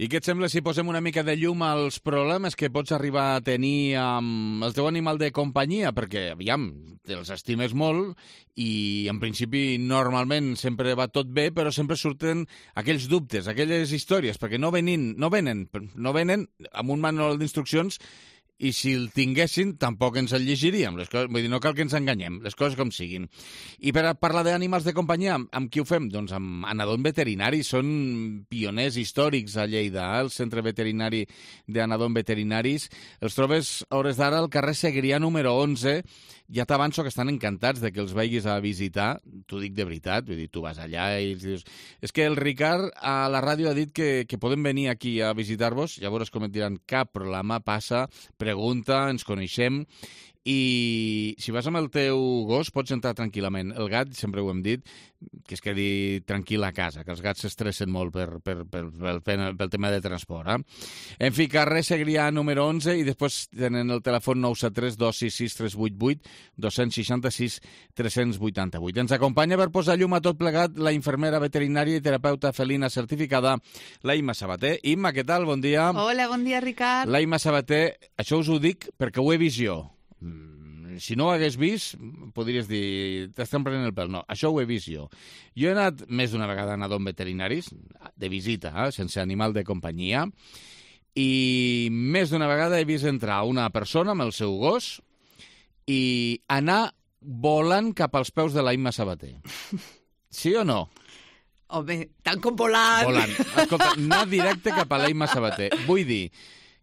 I què et sembla si posem una mica de llum als problemes que pots arribar a tenir amb el teu animal de companyia? Perquè, aviam, els estimes molt i, en principi, normalment sempre va tot bé, però sempre surten aquells dubtes, aquelles històries, perquè no venen amb un manual d'instruccions i si el tinguessin tampoc ens el llegiríem. Vull dir, no cal que ens enganyem, les coses com siguin. I per a parlar d'animals de companyia, amb qui ho fem? Doncs amb Anadom Veterinari. Són pioners històrics a Lleida, el centre veterinari d'Anadom Veterinaris. Els trobes a hores d'ara al carrer Segrià número 11. Ja t'avanço que estan encantats de que els vagis a visitar. T'ho dic de veritat, vull dir, tu vas allà i dius... És que el Ricard a la ràdio ha dit que podem venir aquí a visitar-vos, llavors com et diran, cap problema, passa, pregunta, ens coneixem, i si vas amb el teu gos pots entrar tranquil·lament. El gat, sempre ho hem dit, que es quedi tranquil a casa, que els gats s'estressen molt pel tema de transport. En fi, carrer Segrià número 11 i després tenen el telèfon 973 266 388 266 388. Ens acompanya per posar llum a tot plegat la infermera veterinària i terapeuta felina certificada, la Imma Sabater. Imma, què tal? Bon dia. Hola, bon dia, Ricard. La Imma Sabater, això us ho dic perquè ho he vist jo. Si no ho hagués vist, podries dir, t'estem prenent el pèl. No, això ho he vist jo. Jo he anat més d'una vegada a Anadom Veterinaris, de visita, sense animal de companyia, i més d'una vegada he vist entrar una persona amb el seu gos i anar volant cap als peus de la Imma Sabater. Sí o no? Home, tant com volant. Volant. Escolta, anar directe cap a la Imma Sabater. Vull dir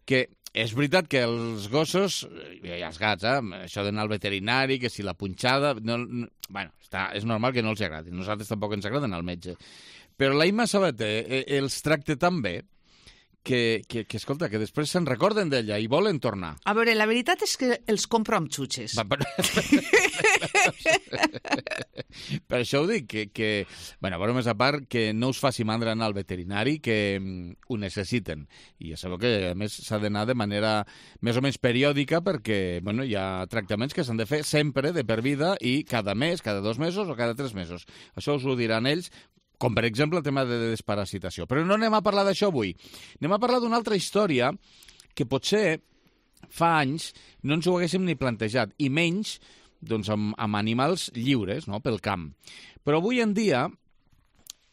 que és veritat que els gossos, i els gats, això d'anar al veterinari, que si la punxada... Bueno, és normal que no els agradi. Nosaltres tampoc ens agraden al metge. Però la Imma Sabater els tracta tan bé que escolta, que després se'n recorden d'ella i volen tornar. A veure, la veritat és que els compro amb xutxes. Per això ho dic, que bueno, a veure, més a part, que no us faci mandra anar al veterinari, que ho necessiten. I ja sabeu que, a més, s'ha d'anar de manera més o menys periòdica perquè, bueno, hi ha tractaments que s'han de fer sempre, de per vida, i cada mes, cada 2 mesos o cada 3 mesos. Això us ho diran ells, com per exemple el tema de desparasitació. Però no anem a parlar d'això avui. Anem a parlar d'una altra història que potser fa anys no ens ho haguéssim ni plantejat, i menys doncs, amb animals lliures, no?, pel camp. Però avui en dia,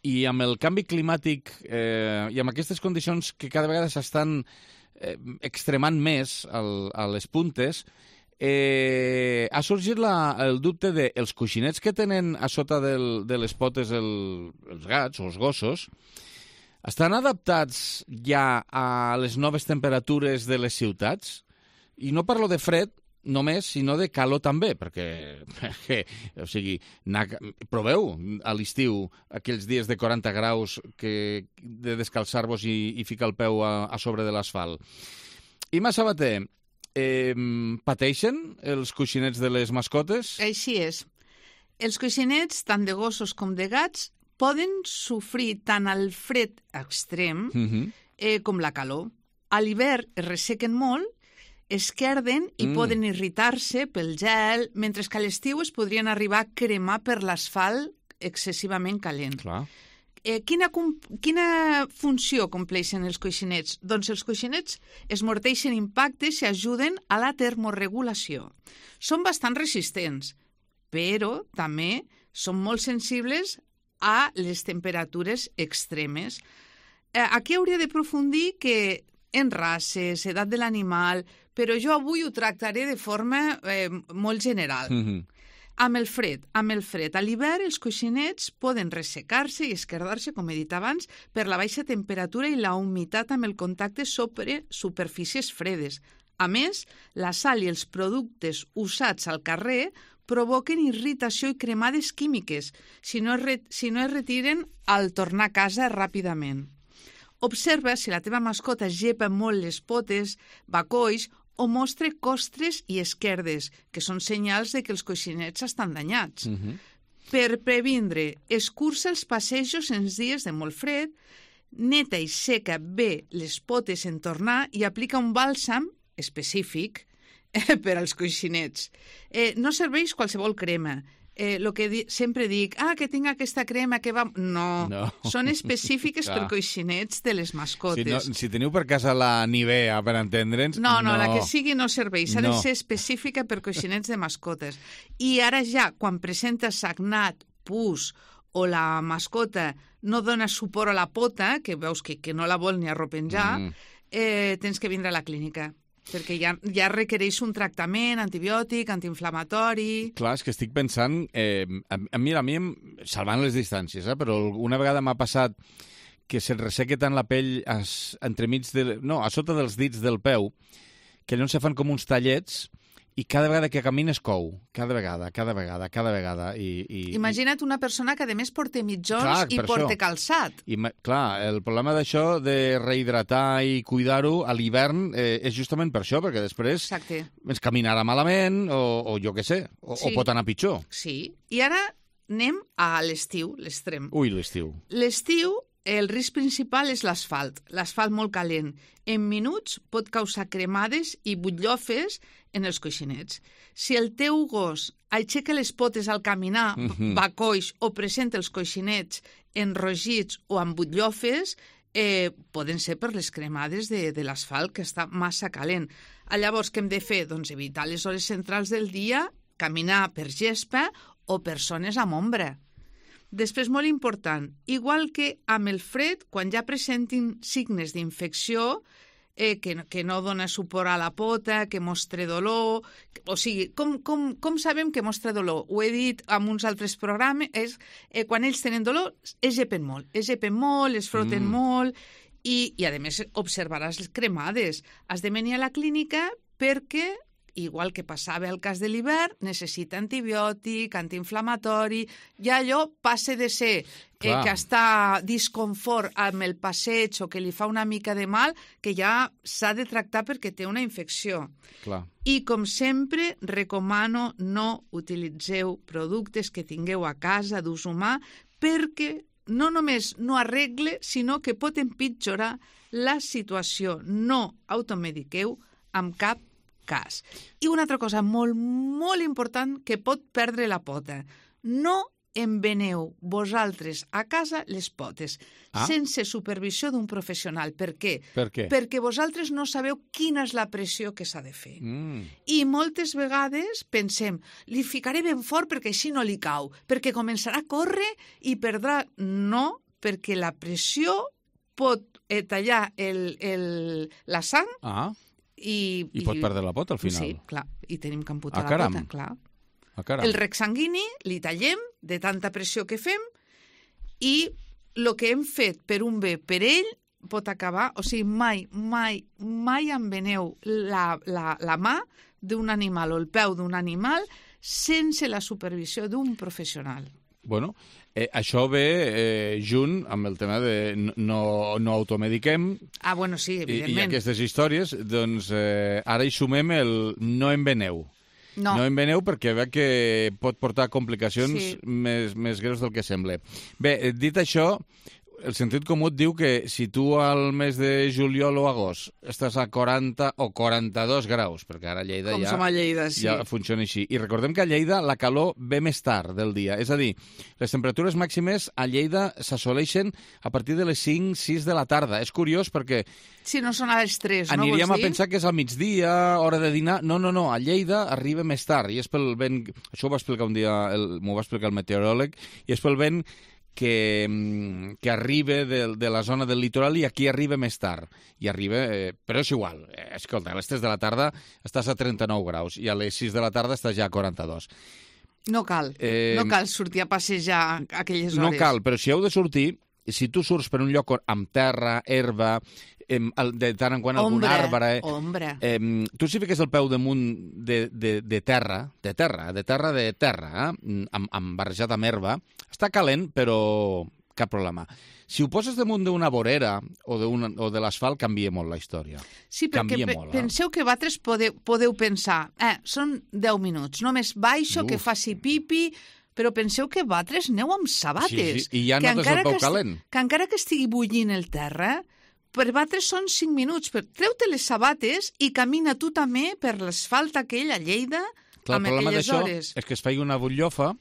i amb el canvi climàtic i amb aquestes condicions que cada vegada s'estan extremant més a les puntes, ha sorgit el dubte de els coixinets que tenen a sota de les potes els gats o els gossos estan adaptats ja a les noves temperatures de les ciutats? I no parlo de fred només, sinó de calor també, perquè o sigui, proveu a l'estiu aquells dies de 40 graus de descalçar-vos i ficar el peu a sobre de l'asfalt. Imma Sabater, pateixen els coixinets de les mascotes? Així és. Els coixinets, tant de gossos com de gats, poden sofrir tant el fred extrem com la calor. A l'hivern es ressequen molt, esquerden i poden irritar-se pel gel, mentre que a l'estiu es podrien arribar a cremar per l'asfalt excessivament calent. Clar. Quina funció compleixen els coixinets? Doncs els coixinets esmorteixen impactes i ajuden a la termorregulació. Són bastant resistents, però també són molt sensibles a les temperatures extremes. Aquí hauria d'aprofundir que en races, edat de l'animal, però jo avui ho tractaré de forma molt general. Amb el fred. A l'hivern els coixinets poden ressecar-se i esquerdar-se, com he dit abans, per la baixa temperatura i la humitat amb el contacte sobre superfícies fredes. A més, la sal i els productes usats al carrer provoquen irritació i cremades químiques si no es retiren al tornar a casa ràpidament. Observa si la teva mascota gepa molt les potes, bacolls o mostra costres i esquerdes, que són senyals de que els coixinets estan danyats. Per previndre, escurça els passejos en dies de molt fred, neta i seca bé les potes en tornar i aplica un bàlsam específic per als coixinets. No serveix qualsevol crema. el que sempre dic, que tinc aquesta crema que va... No. Són específiques per coixinets de les mascotes. Si teniu per casa la Nivea, per entendre'ns... No, la que sigui no serveix. S'ha de ser específica per coixinets de mascotes. I ara ja, quan presenta sagnat, pus o la mascota no dona suport a la pota, que veus que no la vol ni arropenjar, tens que vindre a la clínica, perquè ja requereix un tractament antibiòtic, antiinflamatori... Clar, és que estic pensant... Mira, a mi, salvant les distàncies, però una vegada m'ha passat que se't resseca tant la pell a sota dels dits del peu, que llavors se fan com uns tallets i cada vegada que camines cou. Cada vegada. Imagina't una persona que a més porta mitjons i porta calçat. Clar, el problema d'això de rehidratar i cuidar-ho a l'hivern és justament per això, perquè després ens caminarà malament o jo què sé, o pot anar pitjor. Sí, i ara anem a l'estiu, l'extrem. Ui, l'estiu. L'estiu, el risc principal és l'asfalt molt calent. En minuts pot causar cremades i butllofes en els coixinets. Si el teu gos aixeca les potes al caminar, va coix o presenta els coixinets enrogits o amb butllofes, poden ser per les cremades de l'asfalt, que està massa calent. Llavors, què hem de fer? Doncs evitar les hores centrals del dia, caminar per gespa o per zones amb ombra. Després, molt important, igual que amb el fred, quan ja presentin signes d'infecció, que no dona suport a la pota, que mostra dolor... O sigui, com sabem que mostra dolor? Ho he dit en uns altres programes, quan ells tenen dolor, es llepen molt, es froten molt, i a més observaràs les cremades. Has de venir a la clínica perquè... igual que passava el cas de l'hivern, necessita antibiòtic, antiinflamatori, ja allò passa de ser que està disconfort amb el passeig o que li fa una mica de mal, que ja s'ha de tractar perquè té una infecció. Clar. I, com sempre, recomano no utilitzeu productes que tingueu a casa d'ús humà perquè no només no arregle, sinó que pot empitjorar la situació. No automediqueu amb cap cas. I una altra cosa molt, molt important que pot perdre la pota. No enveneu vosaltres a casa les potes sense supervisió d'un professional. Per què? Perquè vosaltres no sabeu quina és la pressió que s'ha de fer. I moltes vegades pensem, li ficaré ben fort perquè així no li cau, perquè començarà a córrer i perdrà... No, perquè la pressió pot tallar la sang i pot perdre la pota al final. Sí, clar, i tenim que amputar la pota, clar. El rec sanguini li tallem de tanta pressió que fem i el que hem fet per un bé per ell pot acabar... O sigui, mai enveneu la mà d'un animal o el peu d'un animal sense la supervisió d'un professional. Bueno, això ve junt amb el tema de no automediquem. Bueno, sí, evidentment. I aquestes històries, doncs ara hi sumem el no enveneu. No enveneu perquè veig que pot portar complicacions més greus del que sembla. Bé, dit això, el sentit comú et diu que si tu al mes de juliol o agost estàs a 40 o 42 graus, perquè ara a Lleida ja funciona així. I recordem que a Lleida la calor ve més tard del dia. És a dir, les temperatures màximes a Lleida s'assoleixen a partir de les 5-6 de la tarda. És curiós perquè... Si no són a les 3, no? Aniríem a pensar que és al migdia, hora de dinar. No, a Lleida arriba més tard. I és pel vent... Això ho va explicar un dia, m'ho va explicar el meteoròleg, i és pel vent que arriba de la zona del litoral i aquí arriba més tard. I arriba, però és igual. Escolta, a les 3 de la tarda estàs a 39 graus i a les 6 de la tarda estàs ja a 42. No cal sortir a passejar a aquelles hores. No cal, però si heu de sortir, si tu surts per un lloc amb terra, herba, de tant en quant algun arbre... Ombra. Tu si fiques el peu damunt de terra, barrejat amb herba, està calent, però cap problema. Si ho poses damunt d'una vorera o de l'asfalt, canvia molt la història. Sí, perquè penseu que vosaltres podeu pensar, són 10 minuts, només baixo, que faci pipi... Però penseu que vosaltres aneu amb sabates. Sí, i ja notes el peu calent. Que encara que estigui bullint el terra, per vosaltres són 5 minuts. Treu-te les sabates i camina tu també per l'asfalt aquell a Lleida amb aquelles hores. És que es faci una butllofa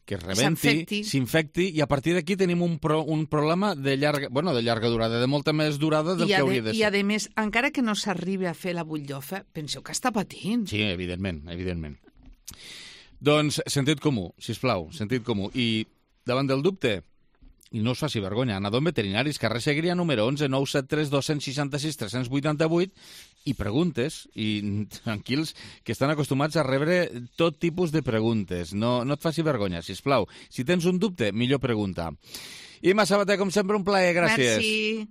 que es rebenti, s'infecti, i a partir d'aquí tenim un problema de llarga durada, de molta més durada del que hauria de ser. I, a més, encara que no s'arribi a fer la butllofa, penseu que està patint. Sí, evidentment. Doncs sentit comú, sisplau, sentit comú. I davant del dubte, i no us faci vergonya, anador en veterinaris, carrer Segrià número 11, 973 266 388, i preguntes, i tranquils, que estan acostumats a rebre tot tipus de preguntes. No et faci vergonya, sisplau. Si tens un dubte, millor pregunta. Imma Sabater, com sempre, un plaer, gràcies. Merci.